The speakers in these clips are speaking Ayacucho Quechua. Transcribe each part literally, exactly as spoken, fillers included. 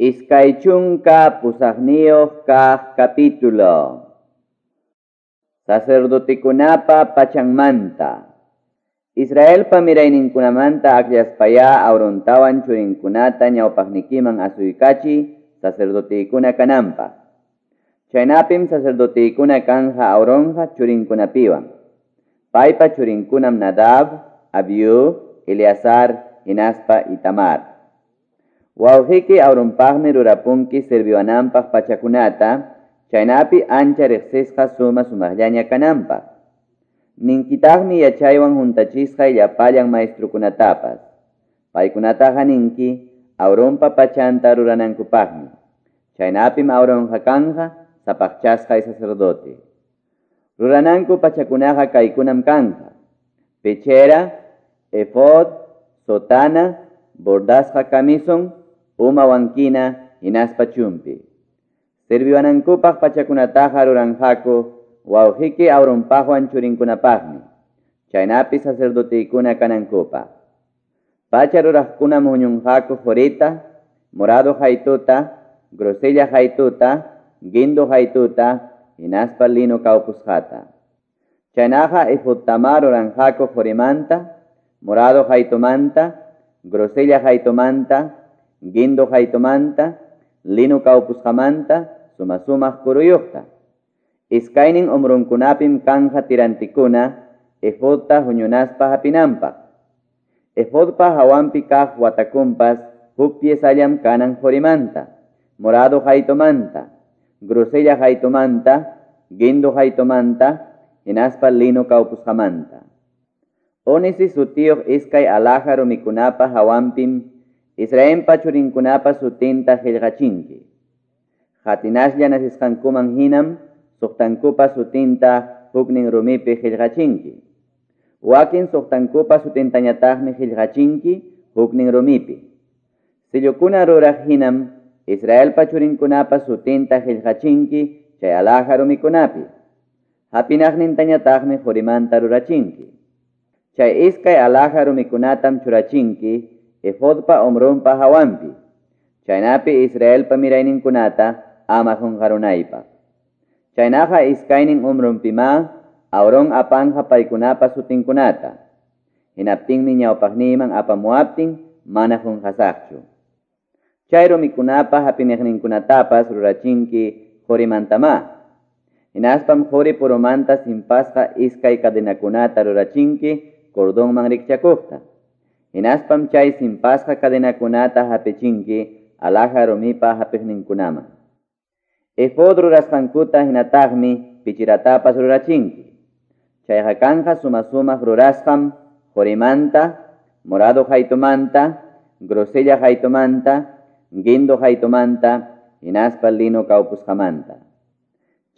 Iskay chunka pusaqniyuq kaq capítulo. Sacerdotekunapa pachanmanta. Israelpa mirayninkunamanta akllaspaya Aarontawan churinkunata ñawpaqnikiman asuykachi sacerdotekuna kananpaq. Chaynapim sacerdotekuna kanja Aaronqa churinkunapiwan. Paypa churinkunam Nadab, Abiú, Eleazar, hinaspa Itamar. Wawqiki Aaronpaqmi rurapunki sirviwananpaq pachakunata, chaynapi ancha riqsisqa suma sumaqllaña kananpaq. Ninkitaqmi yachaywan huntachisqa llapallan maestrukunatapas. Paykunataqa ninki Aaronpa pachanta ruranankupaqmi. Chaynapim Aaronqa kanja sapaqchasqa sacerdote. Rurananku pachakunaqa kaykunam kanja: pechera, efod, sotana, bordasqa camison, uma wankina, hinaspa chumpi. Sirviwanankupaq pachakunataqa ruranqaku wawqiki Aaronpaqwan churinkunapaqmi, chaynapi sacerdotekuna kanankupaq. Pacha ruraqkunam huñunqaku qurita, morado haytuta, grosella haytuta, guindo haytuta, hinaspa lino kawpusqata. Chaynaqa efodtama ruranqaku qurimanta, morado haytumanta, grosella haytumanta, guindo haytumanta, lino kawpusqamanta, suma sumaq kuruyuqta. Iskaynin umrunkunapim kanja tirantikuna efodta huñunaspa hapinanpaq. Efodpa hawanpi kaq watakunpas huk piesallam kanan qurimanta, morado haytumanta, grosella haytumanta, guindo haytumanta, hinaspa lino kawpusqamanta. Ónice sutiyuq iskay alhaja rumikunapa hawanpim Israelpa churinkunapa sutinta qillqachinki. Hatinaslla nasisqankuman hinam suqtankupa sutinta huknin rumipi qillqachinki. Wakin suqtankupa sutintañataqmi qillqachinki huknin rumipi. Sillukuna ruraq hinam Israelpa churinkunapa sutinta qillqachinki chay alhaja rumikunapi. Hapinaqnintañataqmi qurimanta rurachinki. Chay iskay alhaja rumikunatam churachinki efodpa umrunpa hawanpi. Chaynapi Israelpa mirayninkunata ama qunqarunaypaq. Chaynaqa iskaynin umrunpima Aarón apanja paykunapa sutinkunata. Hinaptinmi ñawpaqniyman apamuaptin mana qunqasaqchu. Chay rumikunapa hapiniqninkunatapas rurachinki qurimantama. Hinaspam quri purumanta simpasqa iskay cadenakunata rurachinki cordonman rikchakuqta. Hinaspam chay simpasqa cadenakunata hapichinki alhaja rumipa hapiqninkunaman. Efod rurasqankuta hinataqmi pichiratapas rurachinki. Chayqa kanja suma sumaq rurasqam qurimanta, morado haytumanta, grosella haytumanta, guindo haytumanta, hinaspa lino kawpusqamanta.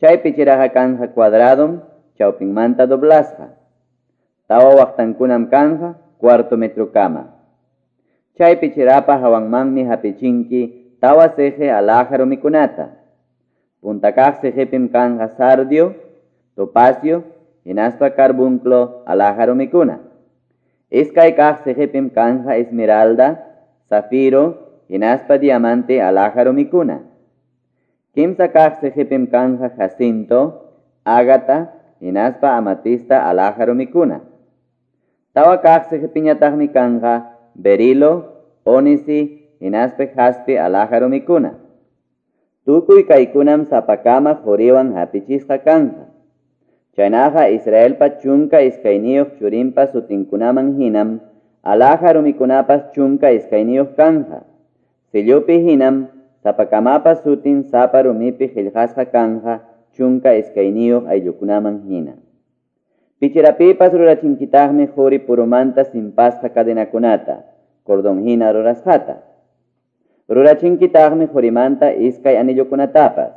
Chay pichiraqa kanja cuadradom chawpinmanta doblasqa. Tawa waqtankunam kanja cuarto metrokama. Chay pichirapa hawanmanmi hapichinki tawa siqi alhaja rumikunata. Punta kaq siqipim kanja sardio, topacio, hinaspa carbunclo alhaja rumikuna. Iskay kaq siqipim kanja esmeralda, zafiro, hinaspa diamante alhaja rumikuna. Kimsa kaq siqipim kanja jacinto, ágata, hinaspa amatista alhaja rumikuna. Tawa kaq siqipiñataqmi kanja berilo, ónice, hinaspa jaspe alhaja rumikuna. Tukuy kaykunam sapakama quriwan hapichisqa kanja. Chaynaqa Israelpa chunka iskayniyuq churinpa sutinkunaman hinam alhaja rumikunapas chunka iskayniyuq kanja. Sillupi hinam sapakamapa sutin sapa rumipi qillqasqa kanja chunka iskayniyuq ayllukunaman hina. Pichirapipas rurachinkitaqmi quri purumanta simpasqa cadenakunata, cordón hina rurasqata. Rurachinkitaqmi qurimanta iskay anillukunatapas.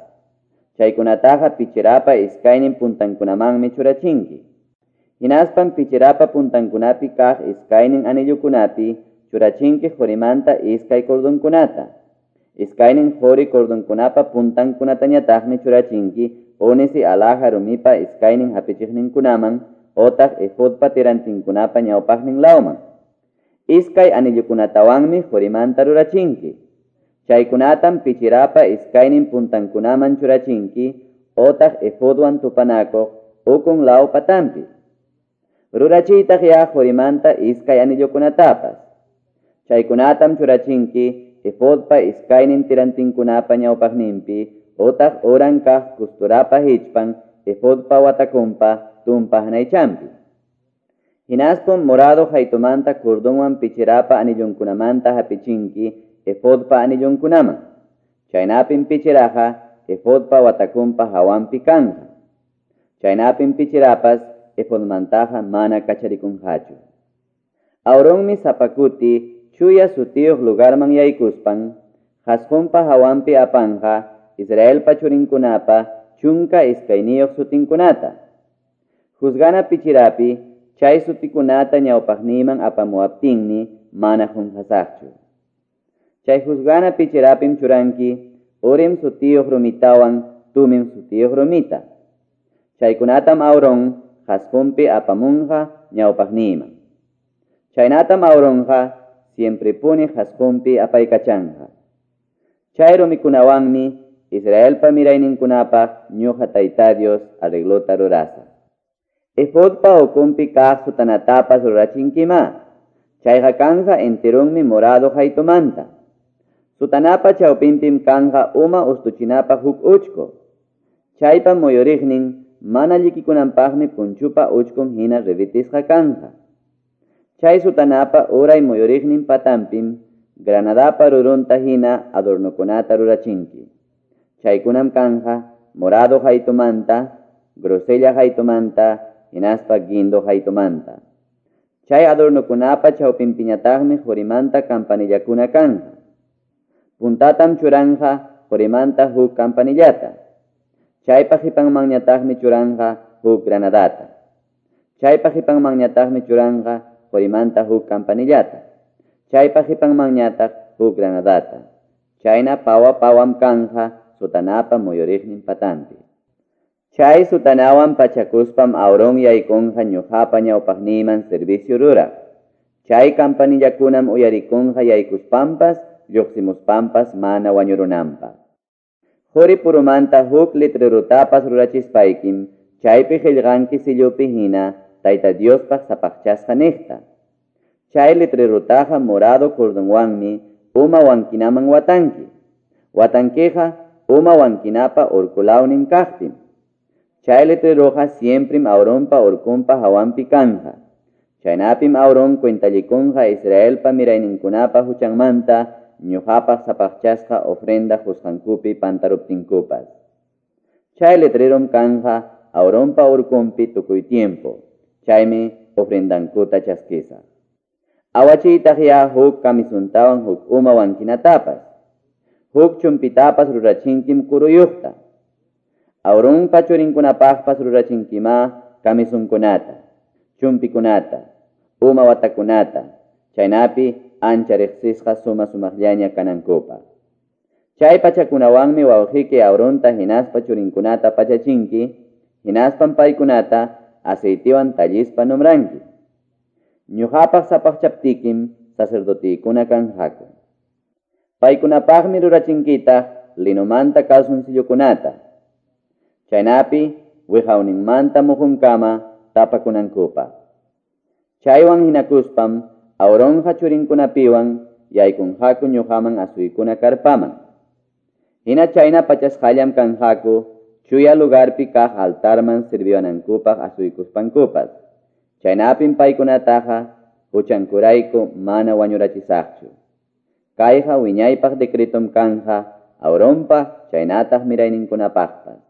Chaykunataqa pichirapa iskaynin puntankunamanmi churachinki. Hinaspam pichirapa puntankunapi kaq iskaynin anillukunapi churachinki qurimanta iskay cordonkunata. Iskaynin quri cordonkunapa puntankunatañataqmi churachinki ónice alhaja rumipa iskaynin hapichiqninkunaman otaq efodpa tirantinkunapa ñawpaqnin lawman. Iskay anillukunatawanmi qurimanta rurachinki. Chaykunatam pichirapa iskaynin puntankunaman churachinki otaq efodwan tupanakuq ukun law patanpi. Rurachiytaq ya qorimanta iskay anillokunatapas. Chaykunatam churachinki efodpa iskaynin tirantinkunapa ñawpaqninpi otaq uran kaq kusturapa hichpan efodpa watakunpa tumpa hanaychampi. Hinaspam morado haytumanta cordonwan pichirapa anillonkunamanta hapichinki efodpa anillonkunaman. Chaynapim pichiraqa efodpa watakunpa hawanpi kanja. Chaynapim pichirapas efodmantaqa mana kacharikunqachu. Aaronmi sapakuti chuya sutiyuq lugarman yaykuspan qasqunpa hawanpi apanja Israelpa churinkunapa chunka iskayniyuq sutinkunata. Juzgana pichirapi chay sutikunata ñawpaqniyman apamuwaptinmi mana qunqasaqchu. Chay juzgana pichirapim churanki Urim sutiyuq rumitawan Tumim sutiyuq rumita. Chaykunatam Aaron qasqunpi apamunqa ñawpaqniyman. Chaynatam Aaronqa siemprepuni qasqunpi apaykachanqa. Chay rumikunawanmi Israelpa mirayninkunapaq ñuqa Tayta Dios arreglota rurasaq. Efodpa ukunpi kaq sutanatapas rurachinkima. Chayqa kanja enterunmi morado haytumanta. Sutanapa chawpinpim kanja uma ustuchinapa huk uchko. Chaypa muyuriqnin mana llikikunanpaqmi punchupa uchkun hina revitisqa kanja. Chay sutanapa uray muyuriqnin patanpim granadapa rurunta hina adornokunata rurachinki. Chaykunam kanja morado haytumanta, grosella haytumanta, hinaspa guindo haytumanta. Chay adornokunapa chawpinpiñataqmi qurimanta campanillakuna kanja. Puntatam churanja qurimanta huk campanillata. Chaypa qipanmanñataqmi churanja huk granadata. Chaypa qipanmanñataqmi churanja qorimanta huk campanillata. Chaypa qipanmanñataq huk granadata. Chayna pawa pawam kanja sutanapa muyuriqnin patanpi. Chay sutanawan pachakuspam Aaron yaykunqa ñuqapa ñawpaqniyman servicio ruraq. Chay campanillakunam uyarikunqa yaykuspampas lluqsimuspampas mana wañurunanpaq. Quri purumanta huk letrerutapas rurachispaykim chaypi qillqanki sillupi hina Tayta Diospaq sapaqchasqa niqta. Chay letrerutaqa morado cordonwanmi uma wankinaman watanki. Watankiqa uma wankinapa urkulawnin kaqpim. Chay letreroqa siemprim Aaronpa urkunpa hawanpi kanja. Chaynapim Aaron cuentallikunqa Israelpa mirayninkunapa huchanmanta ñuqapaq sapaqchasqa ofrenda qusqankupi pantaruptinkupas. Chay letrerom kanja Aaronpa urkunpi tukuy tiempo. Chaymi ofrendankuta chaskisaq. Awachiytaq ya huk kamisuntawan huk uma wankinatapas. Huk chumpitapas rurachinkim kuruyuqta. Aaronpa churinkunapaqpas rurachinkima kamisunkunata, chumpikunata, uma watakunata, chaynapi ancha riqsisqa suma sumaqllaña kanankupaq. Chay pachakunawanmi wawqiyki Aaronta hinaspa churinkunata pachachinki, hinaspam paykunata aceitiwan tallispa nombranki. Ñuqapaq sapaqchaptikim sacerdotiykuna kanqaku. Paykunapaqmi rurachinkitaq linomanta calzoncillokunata. Chaynapi wiqawninmanta muhunkama tapakunankupaq. Chaywan hinakuspam Aaronqa churinkunapiwan yaykunqaku ñuqaman asuykuna karpaman. Hina chayna pachasqallam kanqaku chuya lugarpi kaq altarman sirviwanankupaq asuykuspankupas. Chaynapim paykunataqa huchankurayku mana wañurachisaqchu. Kayqa wiñaypaq decretom kanja Aaronpa chaynataq mirayninkunapaqpas.